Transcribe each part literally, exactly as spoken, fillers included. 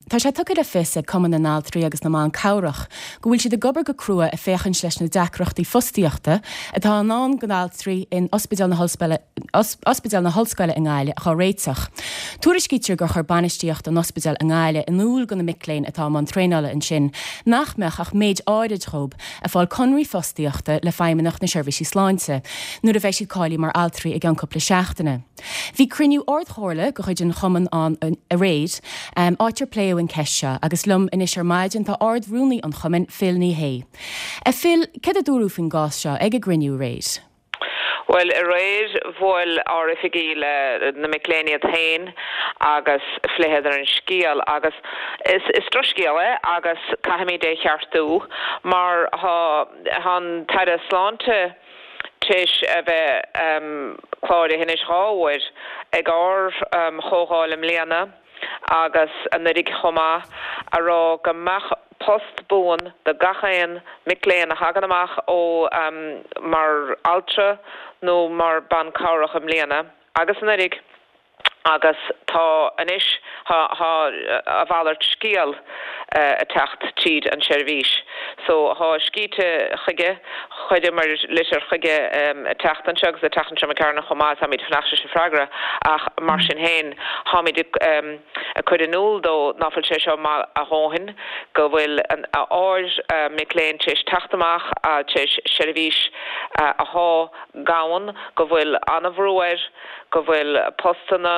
Tá sé tugtha le fios ag Cumann na nAltraí agus na mBan Cabhrach go bhfuil siad ag obair go crua ag féachaint leis na deacrachtaí fostaíochta atá i ndán do na haltraí in Ospidéal na Ospidéal na hOllscoile i nGaillimh a réiteach. Tuairiscítear gur chuir bainistíocht an ospidéil i nGaillimh in iúl do na mic léinn atá i mbun traenála ansin nach mbeadh ach méid áirid díobh ag fáil conradh fostaíochta le Feidhmeannacht na Seirbhíse Sláinte nuair a bheidh siad cáilithe mar altraí i gceann cúpla seachtaine. Bhí cruinniú ardchomhairle de chuid an chumainn ann aréir um, áit ar pléadh an cheist seo agus liom anois ar maidin tá Ard-Rúnaí an chumainn Phil Ní Sheaghdha. A Phil cad a dúradh faoin gcás seo ag an gcruinniú aréir. Well aréir bhuail ár oifigigh le na mic léinn iad féin agus phléadar an scéal agus is, is drochscéal é agus caithfimid é cheartú mar tá an tAire Sláinte tar éis a bheith um, cláraithe anois dhá uair ag ár um, chomhdháil i mbliana agus anuraidh chomh maith a rá go mbeadh post buan do gach aon mic léinn a thagann amach ó um, mar altra nó mar ban cabhrach i mbliana agus anuraidh agus tá anois a mhalairt scéal uh, ag teacht tríd an seirbhís. So tá scríte chuige chuireamar litir chuige um, teacht anseo agus a teach se cearna chomá táimid fanacht leis an freagra ach mar sin féin táimid um, ag cur in iúl dó nach bhfuil sé seo maith a dhóthain go bhfuil an ár uh, mic léinn tar éis teacht amach tar éis seirbhís uh, athá gann go bhfuil an-bhrú air go bhfuil postanna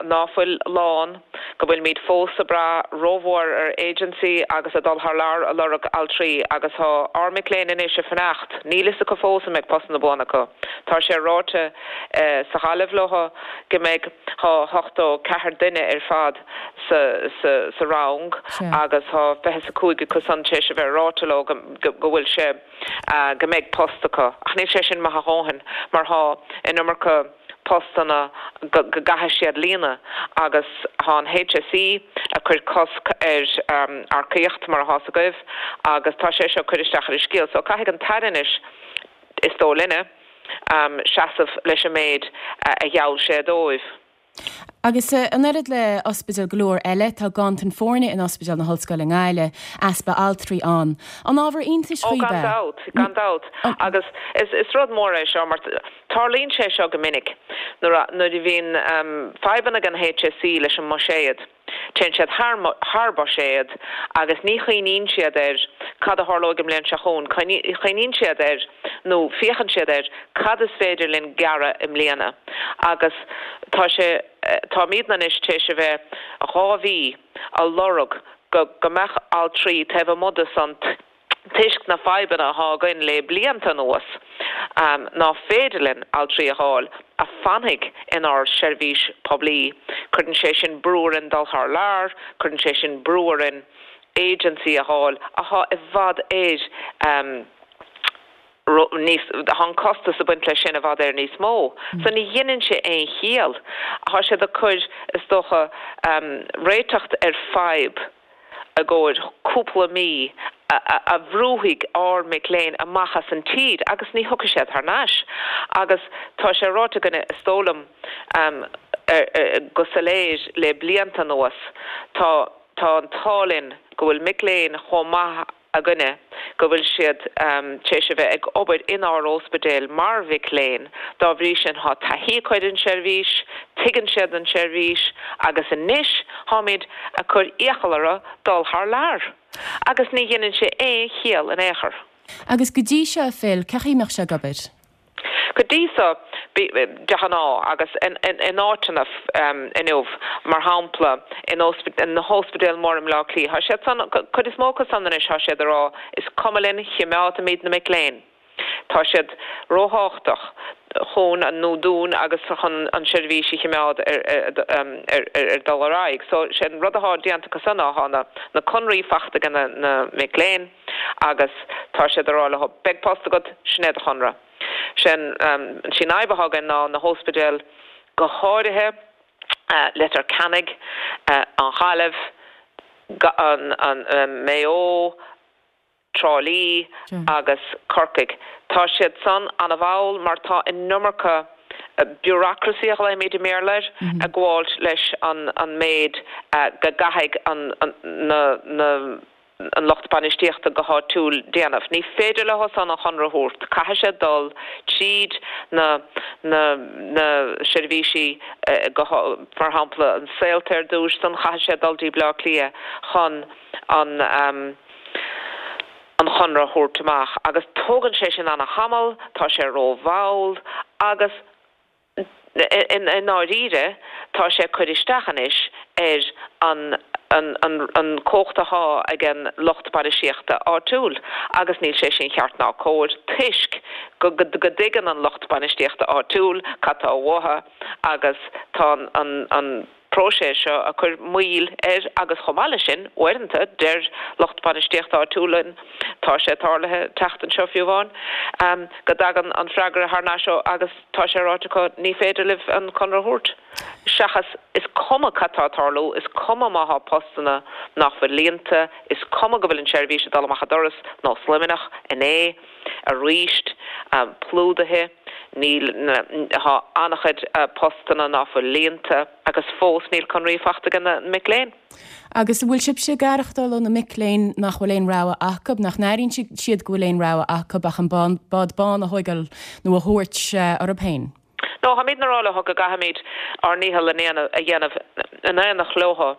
nach bhfuil lán, go bhfuil muid fós ag brath rómhór ar agency agus ag dul thar lear ag lorg altraí agus tá ár mic léinn anois ag fanacht, níl a fhios acu fós an mbeidh postanna buana acu. Tá sé ráite eh, sa Ghaillimh leo go mbeidh tá ochtó ceathair duine ar fad sa, sa, sa rang agus tá fiche a cúig acu san tar éis a bheith ráite leo go bhfuil sé uh, go mbeidh post acu. Ach níl sé sin maith a dhóthain mar tá an iomarca postanna go gcaithfidh siad líonadh agus tá an HSE ag cur cosc ar um, earcaíocht mar atá agaibh agus tá sé seo cur isteach ar an scéal, so caithfidh an tAire anois is dóigh linne um, seasamh leis an méid uh, a gheall sé dóibh. Agus uh, an oiread le ospidéil go leor eile tá ganntan foirne in Ospidéal na hOllscoile i nGaillimh easpa altraí ann. An ábhar iontais Ó gan dabht gan dabht agus is, is rud mór é seo mar tarlaíonn sé seo go minic nuair nuair a bhíonn um, fadhbanna ag an HSE leis an mbuiséad. Téann siad thar buiséad agus ní chuimhníonn siad ar cad a tharlóidh an bhliain seo chugainn, cuimhníonn siad air nó féachann siad air cad is féidir linn gearradh i mbliana. Agus tá sé táimid anois tar éis a bheith dhá mhí ag lorg go go mbeadh altraí taobh amuigh san toisc na fadhbanna atá againn le blianta anuas um, nach féidir linn altraí a fháil a fhanfaidh inár seirbhís poiblí. Cuireann sé sin brú orainn dul thar lear, cuireann sé sin brú orainn agency a fháil atá i bhfad ar um, níos an costas a bhaint leis sin i bhfad ar níos mó. Mm. So ní dhéanann sé aon chiall. Tá sé ag cur is dócha um, réiteach ar fadhb i gcomhair cúpla mí a, a, a bhrúfaidh ár mic léinn amach as an tír agus ní thiocfaidh siad thar n-ais. Agus tá sé ráite againne is dóigh liom um, er, er, go soiléir le blianta anuas tá tá an t-ádh linn go bhfuil mic léinn chomh maith againne go bhfuil siad um, tar éis a bheith ag obair inár ospidéal mar mhic léinn dá bhrí sin tá taithí acu ar an seirbhís, tuigeann siad an seirbhís agus anois táimid ag cur iachall orthu dul thar lear. Agus ní dhéanann sé aon chiall in aon chor. Agus go dtí seo Phil cén chaoi a mbíodh sé ag obair. Go dtí seo de ghnáth agus in áiteanna um, inniu mar shampla in na hospidéil mór i mBleá Cliath. Tá siad san chuid is mó acu san anois tá siad ag rá is cuma linn coimeádfaimid na mic léinn. Tá siad ríthábhachtach chun an nó dúinn agus chun an seirbhís a choimeád ar dul ar aghaidh. So sé an rud atá déanta acu san ná na na conraí faighte ag na, na mic léinn agus tá siad ag rá leo beidh post agat sin é do chonradh. Sin um, sin fhadhb atá againn ná na hospidéil go háirithe uh, Leitir Ceanainn uh, an Ghaillimh an, an, an Maigh Eo, Trá Lí agus Corcaigh. Tá siad san an-mhall mar tá an iomarca bureaucracy a ghlaoimid i mBéarla air, ag gabháilt leis an an méid go gcaithfidh an na na an lucht bainistíochta go háitiúil déanamh. Ní féidir leo san an chonradh a thabhairt, caithfidh sé dul tríd na na na seirbhísí go mar shampla an Saolta ar dtús, san chaithfidh sé dul dtí Bleá Cliath chun an an chonradh a thabhairt amach agus tógann sé sin ana-thamall, tá sé rómhall agus i ndáiríre tá sé ag cur isteach anois ar an an an an cumhacht atá ag an lucht bainistíochta áitiúil agus níl sé sin ceart ná cóir toisc go go go dtuigeann an lucht bainistíochta áitiúil cad tá uathu agus tá an an próiseas seo ag cur moill air agus chomh maith leis sin, uaireanta, deir lucht bainistíochta áitiúil linn, tá sé tarlaithe an tseachtain seo fiú amháin, go dtagann an freagra thar n-ais ó agus tá sé ráite acu ní féidir libh an conradh a thabhairt. Seachas is cuma cad tá ag tarlú, is cuma má thá postanna nach bhfuil líonta, is cuma go bhfuil an tseirbhís ag dul amach an doras, nós Luimneach inné, aríst, plódaithe. Níl, tá an-chuid postanna ná fuil líonta agus fós níl conraí faighte ag na mic léinn. Agus an bhfuil sibhse ag aireachtáil ó na mic léinn nach bhfuil aon rogha acu, nach n-airíonn siad go bhfuil aon rogha acu ach an bád bán a thógáil nó a thabhairt orthu féin? No, táimidne ag rá leo go gcaithfimid ár ndícheall a dhéanamh in éineacht leo.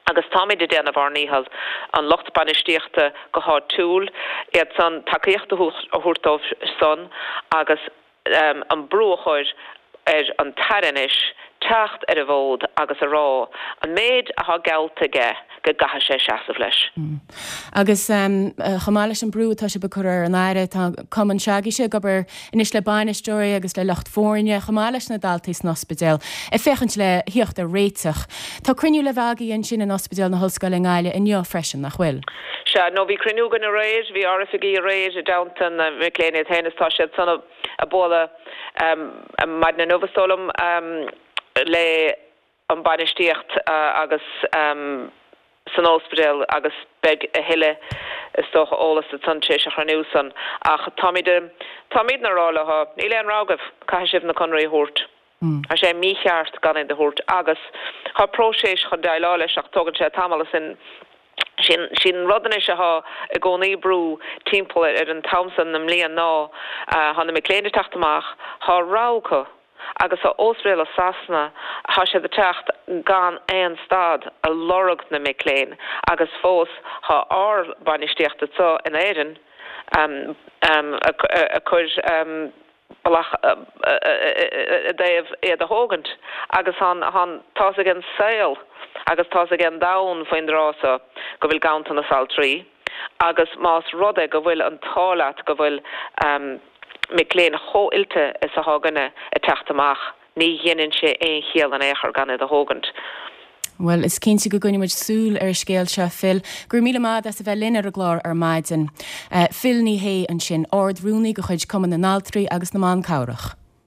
Agus táimid ag déanamh ár ndícheall, an lucht bainistíochta go háitiúil, iad san, tacaíocht a thabhairt dóibh san agus an brú a chur ar an tAire anois teacht ar an bhfód agus a rá an méid athá geallta aige go gcaithfidh sé seasamh leis. Agus chomh maith leis an brú atá sibh ag cur ar an Aire, tá cumann s'agaibhse ag obair anois le bainisteoirí agus le lucht foirne, chomh maith leis na daltaí san ospidéal, ag féachaint le thíocht ar réiteach. Tá cruinniú le bheith agaibh ansin in Ospidéal na hOllscoile i nGaillimh inniu freisin, nach bhfuil? Sea, nó bhí cruinniú againn aréir, bhí ár oifigigh aréir i dteannta na mic léinn iad féin is tá siad san ag bualadh maidin inniu, is dóigh liom, le an bainistíocht agus san ospidéal agus beidh a thuilleadh, is dócha, eolas ansan tar éis an chruinniú san. Ach táimid, táimidne ag rá leo, níl aon rogha agaibh, caithfidh sibh na conraí a thabhairt. Tá sé mícheart gan iad a thabhairt agus tá próiseas chun déileáil leis ach tógann sé tamall is sin sin an rud anois athá i gcónaí brú timpeall ar an t-am san na mbliain ná thá na mic léinn ag teacht amach, thá rogha acu agus thá ospidéil i Sasana, thá siad ag teacht gan aon stad a lorg na mic léinn agus fós thá ár bainistíocht anso in Éirinn ag cur bealach i dtaobh iad a thógaint agus tá tá's ag an saol agus tá's ag an domhan faoin dtráth so go bhfuil ganntanas altraí agus más rud é go bhfuil an t-ádh leat go bhfuil mic léinn chomh oilte is athá againne ag teacht amach, ní dheineann sé aon chiall in aon chor gan iad a thógaint. Bhuel, is cinnte go gcoinneoidh muid súil ar an scéal seo, Phil. Go raibh míle maith agat as a bheith linn ar an gclár ar maidin. Phil Ní Sheaghdha ansin, Ard-Rúnaí de chuid Cumann na nAltraí agus na mBan Cabhrach.